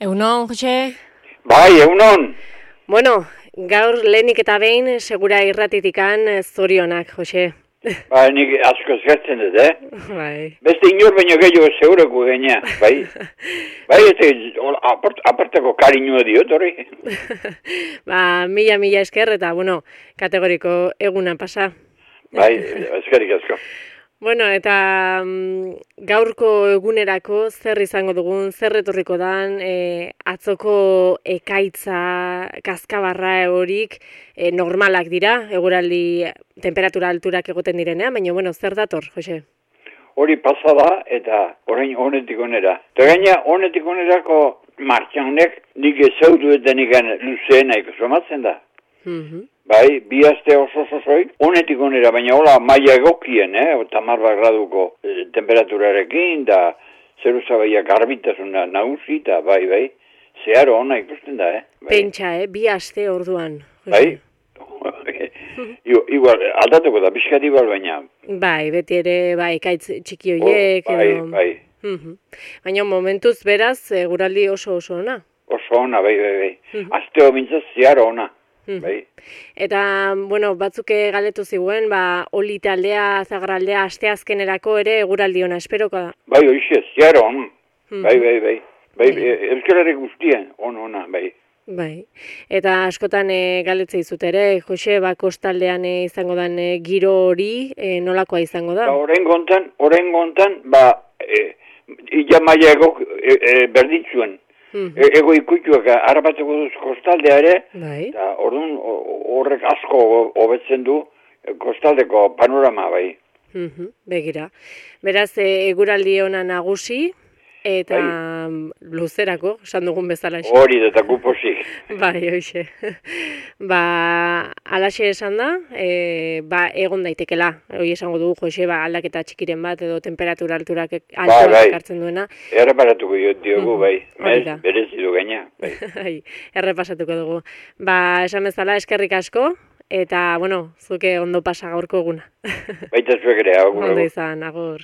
Egunon, Jose? Bai, egunon. Bueno, gaur lehenik eta behin segura irratitikan zorionak, Jose. Ba, nik asko eskertzen dut, Bai. Beste inor baino gehiago segurako gaina, bai. Bai, aparteko kariñoa diot, hori. Mila esker eta, bueno, kategoriko eguna pasa. Bai, eskerik asko. Bueno, eta gaurko egunerako zer izango dugun, zer etorriko dan, atzoko ekaitza, kaskabarra horik normalak dira, eguraldi temperatura alturak egoten direnean, baina, bueno, zer dator, Jose? Hori pasada eta orain honetik onera. Eta gaina honetik onerako martxa honek nik ezautu eta nikan luzeena ikusomatzen da. Bai, bi aste oso-osoik, honetik onera, baina hola maila egokien, 10 graduko temperaturarekin, da zeruzabaia garbitasuna nagusi, eta bai, zeharo ona ikusten da, Bai. Pentsa, bi aste orduan. Bai, igual, aldatuko da, pixkat igual baina. Bai, beti ere, ekaitz txiki horiek. Bai. Baina momentuz beraz, guraldi oso ona. Oso ona, bai. Asteo mintzaz zeharo ona. Bai. Eta, bueno, batzuk galetu ziguen, oli taldea, zagarraldea, asteazkenerako ere eguraldi ona esperoko da. Bai, hoxe, zeharo ona. Bai. Euskararek guztien, ona, bai. Bai, eta askotan galetze dizut ere, Jose, kostaldean izango den giro hori, nolakoa izango da? Orain gontan, illa maia egok berditzuen. Ego ikutuak harrapatzeko duz kostaldea ere, eta orduan horrek asko hobetzen du kostaldeko panorama, bai. Begira. Beraz, eguraldi ona nagusi, eta luzerako, esan dugun bezala. Hori, eta guposik. Bai, hoxe. Alaxe esan da, egon daitekela. Hoi esango dugu, Jose, aldaketa txikiren bat, edo temperatura alturak hartzen duena. Erreparatuko diogu, bai. Berezidu gaina. Errepasatuko dugu. Esan bezala, eskerrik asko, eta, bueno, zuke ondo pasa gaurko eguna. Baita zuek ere, agur. Ondo izan, agur.